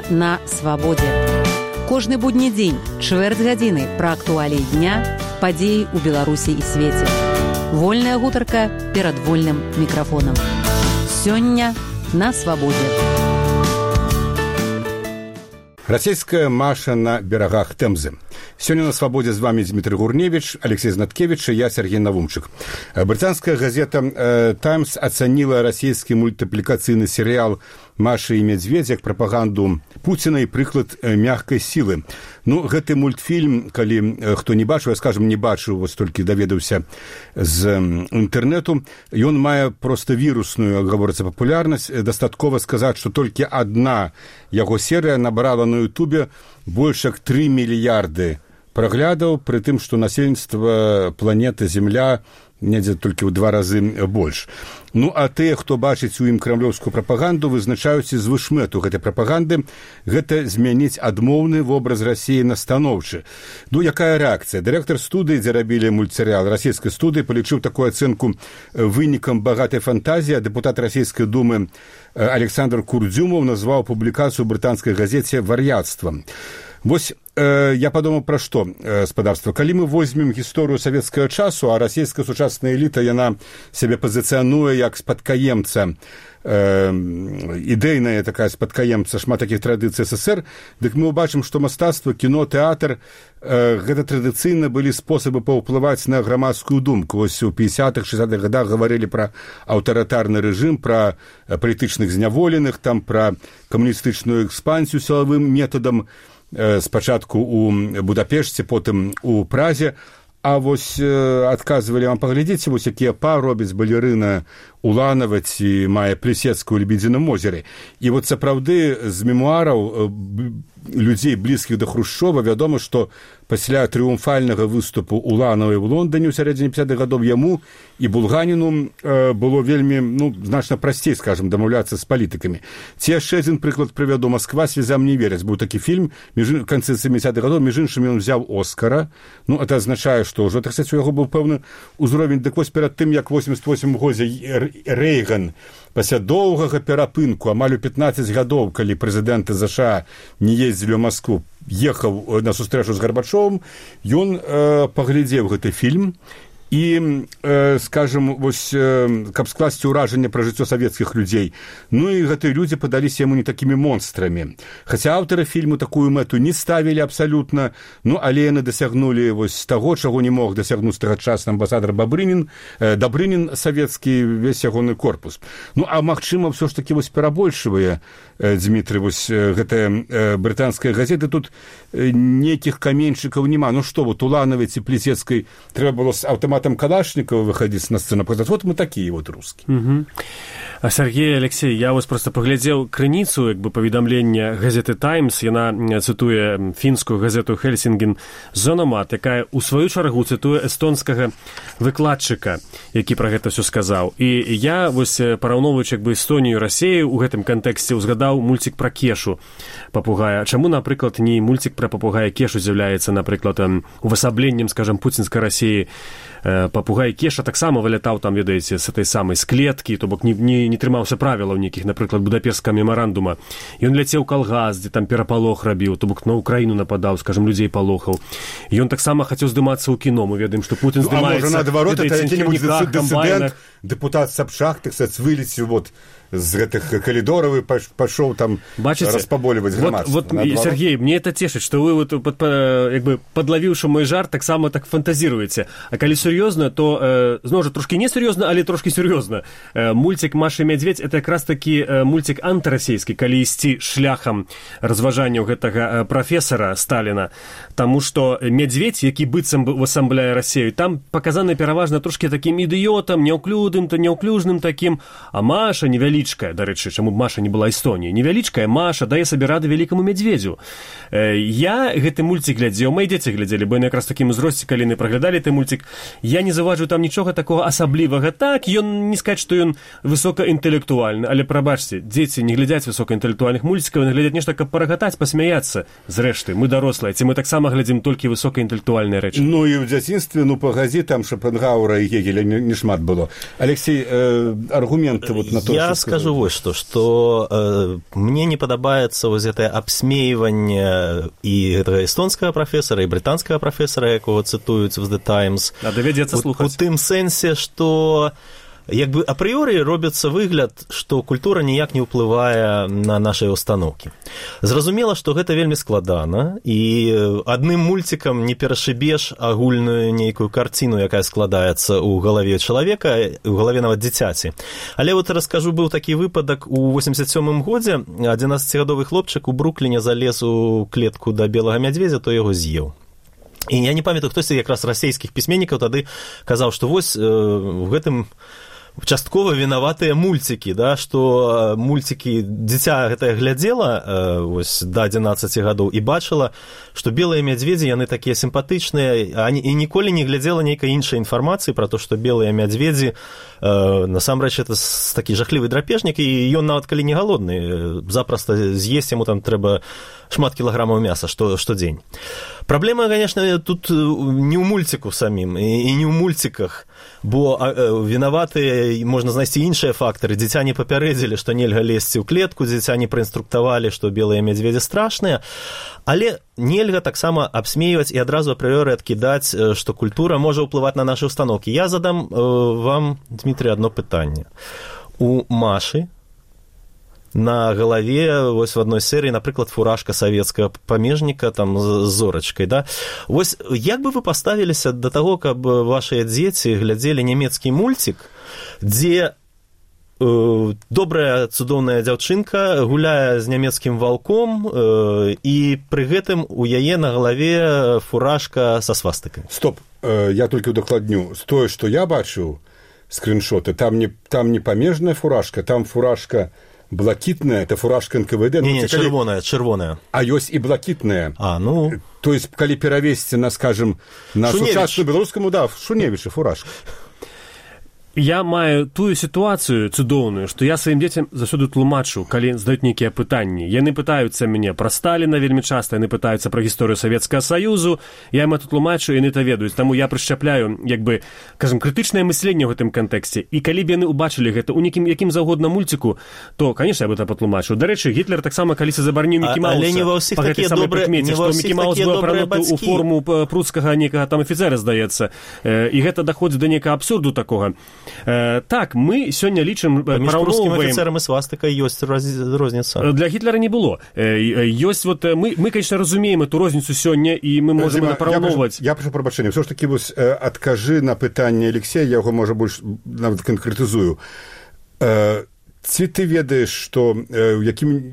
Сёння на свабодзе. Кожны будні дзень, чвэрць гадзіны пра актуаліі дня, падзеі ў Беларусі і свеце. Вольная гутарка перад вольным мікрафонам. Сёння на свабодзе. Расійская Маша на берагах Тэмзы. Сёння на свабодзе з вами Дмітрый Гурневіч, Алексей Знаткевич і я, Сергей Навумчык. Брытанская газета «Таймс» ацаніла расійскі мультыплікацыйны серыял «Маша і медведь» як прапаганду Пуціна і прыклад мягкай сілы. Ну, гэты мультфільм, калі хто не бачыў, я, скажем, не бачыў, вось толькі даведаўся з інтэрнэту, ён мае проста вірусную, гаворыцца, папулярнасць. Дастаткова сказаць, што толькі адна яго серыя набрала на Ютубе больш як 3 мільярды праглядаў, пры тым, што насельніцтва планеты Земля недзе толькі ў 2 разы больш. Ну, а тыя, хто бачыць у ім крамлёўскую прапаганду, вызначаюць звышмэту гэтай прапаганды, гэта змяніць адмоўны вобраз Расіі на станоўчы. Ну, якая рэакцыя? Дырэктар студыі, дзе рабілі мультсерыял расійскай студыі, палічыў такую ацэнку вынікам багатай фантазіі, а дэпутат расійскай думы Александр Курдзюмов назваў публікацыю ў брытанскай газеце вар'яцтвам. Вось я падумаў пра што, спадарства. Калі мы возьмем гісторыю савецкага часу, а расійская сучасная эліта, яна сябе пазіцыянуе як спадкаемца, ідэйная такая спадкаемца шмат такіх традыцый СССР, дык мы ўбачым, што мастацтва, кіно, тэатр гэта традыцыйна былі спосабы паўплываць на грамадскую думку. Вось у 50-х, 60-х годах гаварылі пра аўтарытарны рэжым, пра палітычных зняволеных, там пра камуністычную экспансію сілавым метадам, спачатку у Будапешце, потым у Празе. А вось адказвалі вам, паглядзіце, вось якія па робяць балерына Уланава ці Майя Плісецкая ў Лебедзіным озеры. І вот сапраўды з мемуараў людзей, блізкіх да Хрушчова, вядома, што пасля трыумфальнага выступу Уланавай у Лондоне ў сярэдзіне 50-х гадоў яму і Булганіну было вельмі, ну, значна прасцей, скажем, дамаўляцца з палітыкамі. Ці яшчэ адзін прыклад прывяду. «Москва слезам не верыць». Быў такі фільм, в канцы 70-х гадоў, між іншым ён взяў Оскара. Ну, это азначае, што ўжо, так сказаць, у яго быў пэўны ўзровень. Дык вось перад тым, як 88 годзе Рэйган пасля доўгага перапынку, амаль у 15 гадоў, калі прэзідэнты ЗША не ездзілі ў Маскву, ехаў на сустрэчу з Гарбачовым, ён паглядзеў гэты фільм і, скажем, вось, каб скласці ўражанне пра жыццё савецкіх людзей. Ну і гэтыя людзі падаліся яму не такімі монстрамі. Хаця аўтары фільму такую мэту не ставілі абсалютна, ну, але яны дасягнулі вось таго, чаго не мог дасягнуць тагачасны амбасадар Добрынін савецкі, весь ягоны корпус. Ну, а магчыма, ўсё ж такі вось перабольшвае, Дмітрый, вось гэтая брытанская газета, тут нейкіх каменьчыкаў няма. Ну што, вот Уланавай ці Плісецкай трэба было з аўтаматам Калашникова выходить на сцену, показать, вот мы такие вот русские. А Сергей, Алексей, я вось просто паглядзеў крыніцу, як бы, паведамлення газеты «Таймс». Яна цытуе фінскую газету «Хельсінген Зономат», якая у сваю чаргу цытуе эстонскага выкладчыка, які пра гэта ўсё сказаў. І я, вось, параўноўваючы, як бы, Эстонію і Расію ў гэтым кантэксце, узгадаў мульцік пра Кешу папугая. Чаму, напрыклад, не мульцік пра папугая Кешу з'яўляецца, напрыклад, увасабленнем, скажем, пуцінскай Расіі? Папугай Кеша таксама вылятаў там, ведаеце, з этой самай з клеткі, то бок не трымаўся правілаў нейкіх, напрыклад, Будапешскага мемарандума. Ён ляцеў калгас, дзе там перапалох рабіў, то бок на Украіну нападаў, скажем, людзей палохаў. Ён таксама хацеў здымацца ў кіно. Мы ведаем, што Путін здымаецца... А можа, наадварот, это які-небудь дысідэнт, дэпутат Сапшах, так сказать, вылеціў вот з гэтых калідораў і пашоў там распаболіваць грамадства. Вот, Сергей, мне это цешыць, што вы вот, як бы, падлавіўшы мой жарт, таксама так фантазіруеце. А калі сур'ёзна, то, зноў жа, трошкі не сур'ёзна, але трошкі сур'ёзна. Мульцік «Маша і медведь» — это якраз такі мульцік антырасійскі, калі ісці шляхам разважанняў гэтага прафесара Сталіна. Таму што медведь, які быццам бы увасабляе Расію, там паказаны пераважна трошкі такім ідыётам, няўклюжным такім, а Маша невялічкая, дарэчы, чаму Маша не была Эстоніяй, невялічкая Маша дае сабе рады вялікаму медведзю. Я гэты мульцік глядзеў, мои дзеці глядзелі, бо яны якраз такім узросце, калі яны праглядалі гэты мульцік, я не заўважыў там нічога такога асаблівага. Так, ён не сказаць, што ён высокаінтэлектуальны, але прабачце, дзеці не глядзяць высокаінтэлектуальных мульцікаў, яны глядзяць нешта, каб парагатаць, пасмяяцца. Зрэшты, мы дарослыя, ці мы таксама глядзім толькі высокаінтэлектуальныя рэчы. Ну і ў дзяцінстве, ну пагадзі, там Шопенгауэра і Гегеля не шмат было. Алексей, аргументы вот на то, я что скажу вот что мне не падабаецца вось гэтае абсмейванне і гэтага эстонскага прафесара, і брытанскага прафесара, якога цытуюць в The Times. Давядзецца слухаць. У тым сэнсе, што як бы апрыёры робіцца выгляд, што культура ніяк не ўплывае на нашыя установкі. Зразумела, што гэта вельмі складана, і адным мульцікам не перашыбеш агульную нейкую карціну, якая складаецца ў галаве чалавека, у галаве нават дзіцяці. Але вот раскажу, быў такі выпадак у 87-м годзе, 11-гадовы хлопчык у Брукліне залез у клетку да белага мядзведзя, то яго з'еў. І я не памятаю, хтось якраз расійскіх пісьменнікаў тады казаў, што вось у гэтым часткова вінаватыя мульцікі, да, што мульцікі, дзіця гэтае глядзела ось, да 11 гадоў і бачыла, што белыя мядзведзі, яны такія сімпатычныя, і ніколі не глядзела нейкай іншай інфармацыі пра то, што белыя мядзведзі, насамрэч, это такі жахлівы драпежнік, і ён нават калі не галодны, запросто з'есць, яму там трэба шмат кілаграмаў мяса штодзень. Праблема, конечно, тут не ў мульціку самім, і не ў мульціках, бо вінаватыя, можна знайсці іншыя фактары. Дзіця не папярэдзілі, што нельга лезці ў клетку, дзіця не праінструктавалі, што белыя мядзведзі страшныя, але нельга таксама абсмейваць і адразу апрыёры адкідаць, што культура можа ўплываць на нашы установкі. Я задам вам, Дмітрий, одно пытанне. У Машы на галаве, вось в адной серыі, напрыклад, фуражка савецкага памежніка, там, з зорачкай, да? Вось, як бы вы паставіліся да таго, каб вашыя дзеці глядзелі нямецкі мульцік, дзе добрая, цудоўная дзяўчынка гуляе з нямецкім ваўком, і пры гэтым у яе на галаве фуражка са свастыкай? Стоп, я толькі удакладню. Тое, што я бачыў, скриншоты, там не памежная фуражка, там фуражка блакитная, это фуражка НКВД. Не, чырвоная. А ёсць і блакитная. Ну... То есть, калі перавесці на, скажем, на сучасную беларускаму, да, Шуневіча фуражка. Я маю тую сітуацыю цудоўную, што я сваім дзецям заўсёды тлумачу, калі задаюць нейкія пытанні. Яны пытаюцца мяне пра Сталіна вельмі часта, яны пытаюцца пра гісторыю Савецкага Саюзу, я ім это тлумачу, яны это ведаюць. Таму я прышчапляю, як бы, кажам, крытычнае мысленне ў гэтым кантэксце. І калі б яны ўбачылі гэта ў якім заўгодна мульціку, то, конечно, я бы это патлумачыў. Дарэчы, Гітлер таксама калісьці забараніў Мікі Мауса. Але не ва ўсіх такія добрыя бацькі. Што Мікі Маус быў апрануты ў форму пруцкага нейкага там афіцера, здаецца. І гэта даходзіць да нейкага абсурду такога. Так, мы сёння лічым, паміж прускім афіцэрам і свастыкай ёсць розніца. Для Гітлера не было. Ёсць вот мы, конечно, разумеем эту розніцу сёння, і мы можем напраўноўваць. Я прошу прабачэння. Всё ж такі вось адкажы на пытанне Алексея, я яго, можа, больш нават канкрэтызую. Ці ты ведаеш, што ў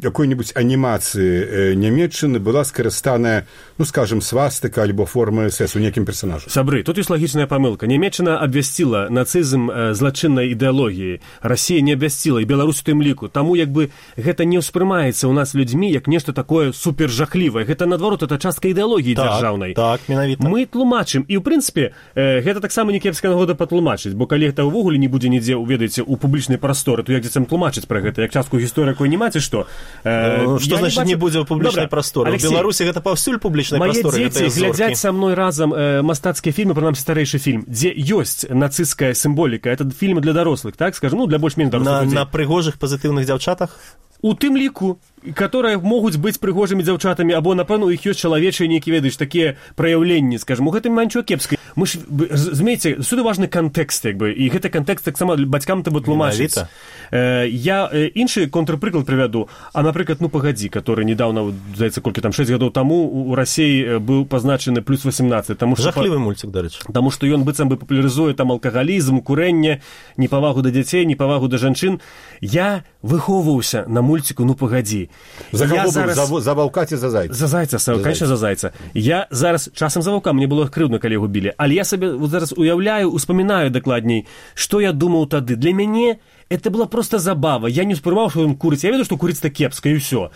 якой-небудзь анімацыі нямецчыны была скарыстаная, ну, скажем, свастыка альбо форма СС у некім персонажу? Сабры, тут ёсць лагічная памылка. Нямецчына абвясціла нацызм злачыннай ідэалогіі. Расія не абвясціла, і Беларусь у тым ліку. Таму, як бы, гэта не ўспрымаецца ў нас людзьмі як нешта такое супержахлівае. Гэта, наадварот, это частка ідэалогіі дзяржаўнай. Так, менавіта. Мы тлумачым. І, ў прынцыпе, гэта таксама не кепская нагода патлумачыць, бо калі гэта ўвогуле не будзе нідзе, ведаеце, у публічнай прасторы, то як дзецям тлумачыць пра гэта, як частку гісторыі якой не маце, што? Што значыць не будзе ў публічнай прасторы? У Беларусі гэта паўсюль публічнай прасторы. Мае дзеці глядзяць са мной разам мастацкія фільмы, прынамсі старэйшы фільм, дзе ёсць нацысцкая сімволіка. Это фільмы для дарослых, так, скажем, ну, для больш-менш дарослых людзей. На прыгожых пазітыўных дзяўчатах? У тым ліку, которые могуць быць прыгожымі дзяўчатамі, або, напэўна, у іх ёсць чалавечыя нейкія, ведаеш, такія праяўленні, скажем, у гэтым няма нічого кепскай. Мы ж, разумееце, сюды важны кантэкст, як бы, і гэты кантэкст таксама бацькам трэба тлумачыць. Я іншы контрпрыклад прывяду, а, напрыклад, ну, пагадзі, который недавно, здаецца, колькі там, 6 гадоў таму у Расіі быў пазначаны плюс 18. Жахлівы мульцік, дарэчы. Таму што ён быццам бы папулярызуе там алкагалізм, курэнне, непавагу да дзяцей, непавагу да жанчын. Я выхоўваўся на мульціку, ну, пагадзі. За кого зараз... за ваўка ці за зайца? За зайца, конечно, за зайца. Я зараз часам за ваўка, мне было крыўдна, калі яго білі. Але я сабе зараз уяўляю, успамінаю дакладней, што я думаў тады. Для мяне это была просто забава. Я не успрымаў, што ён курыць. Я ведаю, што курыць-то кепска, і ўсё.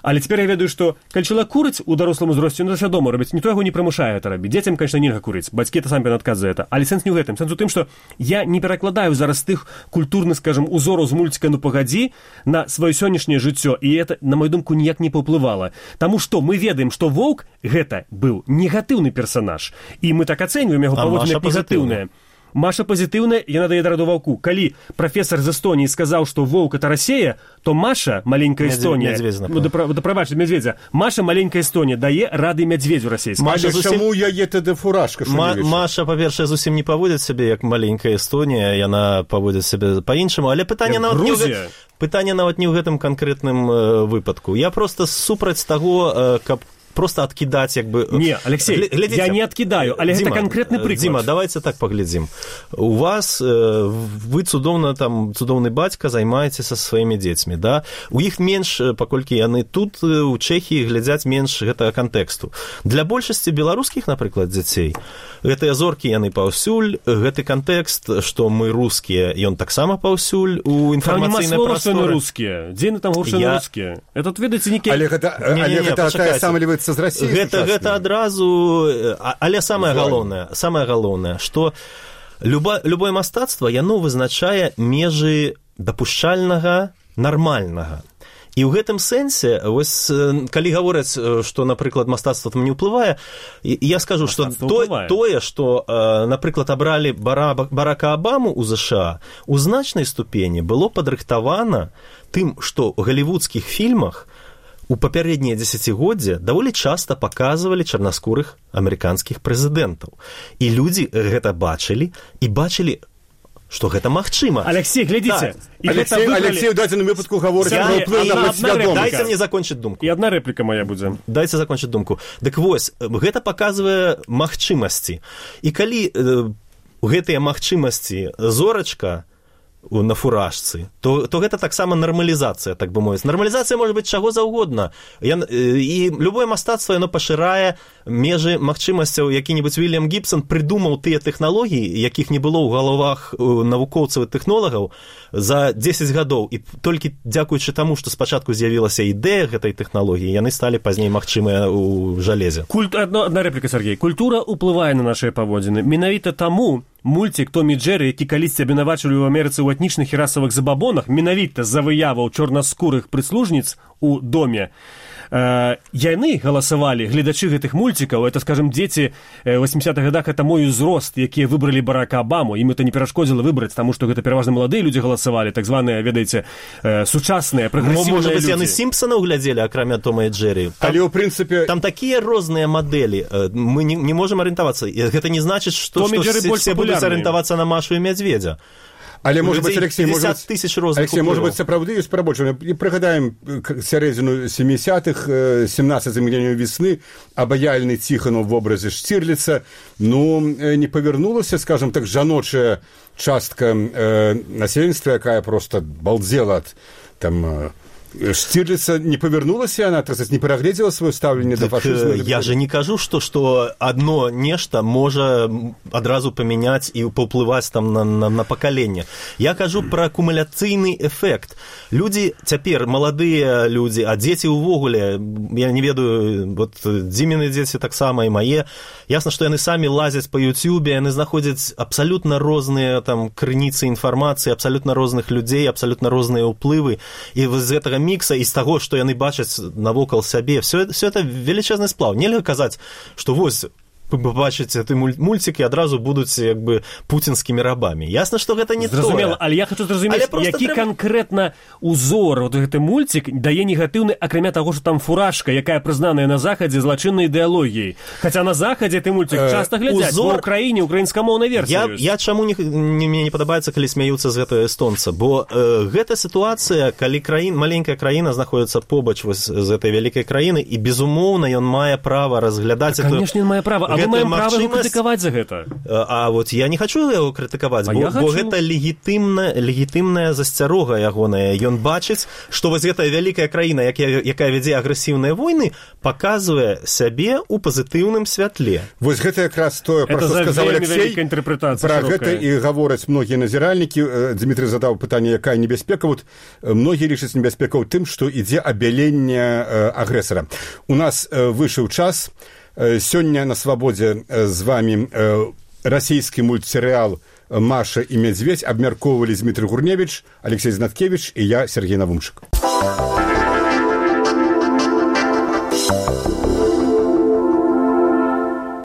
Але цяпер я ведаю, што калі чалавек курыць у дарослым узросце, ён свядома робіць, ніхто яго не прымушае это рабіць. Дзецям, конечно, нельга курыць. Бацькі это самі адказ за это. Але сэнс не ў гэтым. Сэнс у тым, што я не перакладаю зараз тых культурных, скажем, узораў з мульціка «Ну пагадзі» на сваё сённяшняе жыццё, і это, на мою думку, ніяк не паўплывала. Таму што мы ведаем, што воўк гэта быў негатыўны персанаж, і мы так ацэньваем яго паводзіны як негатыўнае. Маша пазітыўная, яна дае дараду ваўку. Калі прафесар з Эстонії сказаў, што воўк это Расія, то Маша, маленькая Эстонія, прабачце, Мядзведзя, Маша, маленькая Эстонія, дае рады мядзведзю расейскому. Але чаму яе тады фуражка? Маша, па-першае, зусім не паводзіць сябе як маленькая Эстонія, яна паводзіць сябе па-іншаму, але пытанне нават не ў гэтым канкрэтным выпадку. Я просто супраць таго, каб просто откидать, как бы... Не, Алексей, глядите, я не откидаю, але это конкретный прыклад. Дима, давайте так поглядим. У вас, вы цудоўны бацька, займаецеся со сваімі дзецьмі, да? У іх менш, паколькі яны тут, у Чэхіі, глядзяць менш гэтага кантэксту. Для большасці беларускіх, напрыклад, дзяцей, гэтыя зоркі яны паўсюль, гэты кантэкст, што мы рускія, ён таксама паўсюль у інфармацыйнай прасторы. Там нема слова, што яны рускія. Дзе яны там гуршы на рускія? Это, ведаеце, некі... Але гэта тая самая гэта адразу, але самае галоўнае, што любое мастацтва, яно вызначае межы дапушчальнага, нармальнага. І ў гэтым сэнсе, вось, калі гавораць, што, напрыклад, мастацтва там не ўплывае, я скажу, што тое, што, напрыклад, абралі Барака Абаму ў ЗША, у значнай ступені было падрыхтавана тым, што ў галівудскіх фільмах у папярэднія дзесяцігоддзя даволі часта паказвалі чарнаскурых амерыканскіх прэзідэнтаў. І людзі гэта бачылі, што гэта магчыма. Алексей, глядзіце. Алексей, у дадзеным выпадку гаворыць пра ўплыў на падсвядомасць. Дайце мне закончыць думку. І адна рэпліка моя будзе. Дайце закончыць думку. Дык вось, гэта паказвае магчымасці. І калі гэтыя магчымасці зорачка на фуражцы, то гэта таксама нармалізацыя, так бы мовіць. Нармалізацыя можа быць чаго заўгодна. І любое мастацтва, яно пашырае межы магчымасцяў. Які-небудзь Вільям Гібсон прыдумаў тыя тэхналогіі, якіх не было ў галавах навукоўцаў і тэхнолагаў за 10 гадоў. І толькі дзякуючы таму, што спачатку з'явілася ідэя гэтай тэхналогіі, яны сталі пазней магчымыя ў жалезе. Одна рэпліка, Сергей. Культура ўплывае на нашыя паводзіны. Менавіта таму мульцік Том і Джэры, які калісьці абвінавачвалі ў Амерыцы ў этнічных і расавых забабонах, менавіта з-за выяваў чорнаскурых прыслужніц у доме, яны галасавалі, гледачы гэтых мульцікаў, это, скажем, дзеці 80-х годах, это мой узрост, якія выбралі Барака Абаму, ім это не перашкодзіла выбраць, таму што гэта пераважна маладыя людзі галасавалі, так званыя, ведаеце, сучасныя, прагрэсіўныя людзі. Можа быць, яны Сімпсанаў глядзелі, акрамя Тома і Джэры. Але ў прынцыпе... Там такія розныя мадэлі, мы не можам арыентавацца. Гэта не значыць, што все будуць арыентавацца на Машу і Мядзведзя. Але, может быть, Алексей, может быть, сапраўды ёсць прабольшая. Прыгадаем сярэдзіну 70-х, 17 мільёнаў весны, абаяльны Ціханаў в образе Штирлица, не павярнулася, скажем так, жаночая частка насельніцтва, якая просто балдзела ад там Штирлица, не павярнулася яна, так сказать, не перагледзела сваё стаўленне да фашызму. Я же не кажу, што адно нешта можа адразу памяняць і паўплываць там на пакаленне. Я кажу пра акумуляцыйны эфект. Людзі цяпер, маладыя людзі, а дзеці ўвогуле, я не ведаю, вот Дзіміны дзеці таксама і мае, ясна, што яны самі лазяць па Ютьюбе, яны знаходзяць абсалютна розныя там крыніцы інфармацыі, абсалютна розных людзей, абсалютна розныя ўплывы, і з гэтага мікса і з таго, што яны бачаць навокал сябе. Все это велічэзны сплаў. Нельга казаць, што вось побачыце ты мульцік і адразу будуць як бы пуцінскімі рабамі. Ясна, што гэта не зразумела, але я хочу зразумець, які канкрэтна узор вот гэты мульцік дае негатыўны, акрамя таго, што там фуражка, якая прызнаная на Захадзе злачыннай ідэалогіяй. Хаця на Захадзе ты мульцік часта глядзяць, у Украіне украінскамоўнай версіі. Я чаму мне не падабаецца, калі смяюцца з гэтага эстонца, бо гэта сітуацыя, калі маленькая краіна знаходзіцца побач з гэтай вялікай краіны, і безумоўна ён мае права разглядаць это. Конечно, ён мае права. Мы маем права яго крытыкаваць за гэта. А вот я не хачу яго крытыкаваць, бо гэта легітымная засцярога ягоная. Ён бачыць, што вось гэтая вялікая краіна, якая вядзе агрэсіўныя войны, паказвае сябе ў пазітыўным святле. Вось гэта якраз тое, пра што сказаў Алексей. Пра гэта і гавораць многія назіральнікі. Дмітрый задаў пытанне, якая небяспека. Вот многія лічаць небяспекаў тым, што ідзе абяленне агрэсара. У нас выйшаў час. Сёння на свабодзе з вами расійскі мультсерыял «Маша і Мядзведь» абмяркоўвалі Дмітрый Гурневіч, Алексей Знаткевіч і я, Сергей Навумчык.